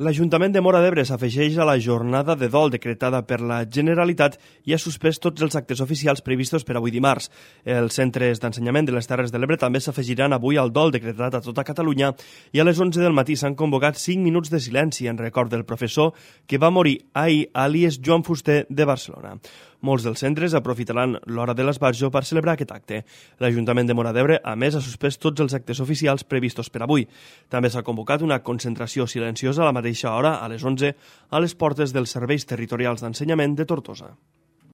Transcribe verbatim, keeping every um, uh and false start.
L'Ajuntament de Móra d'Ebre s'afegeix a la jornada de dol decretada per la Generalitat i ha suspès tots els actes oficials previstos per avui dimarts. Els centres d'ensenyament de les Terres de l'Ebre també s'afegiran avui al dol decretat a tota Catalunya i a les onze del matí s'han convocat cinc minuts de silenci en record del professor que va morir ahir a l'I E S Joan Fuster de Barcelona. Molts dels centres aprofitaran l'hora de l'esbarjo per celebrar aquest acte. L'Ajuntament de Móra d'Ebre, a més, ha suspès tots els actes oficials previstos per avui. També s'ha convocat una concentració silenciosa a la mateixa hora, a les onze, a les portes dels serveis territorials d'ensenyament de Tortosa.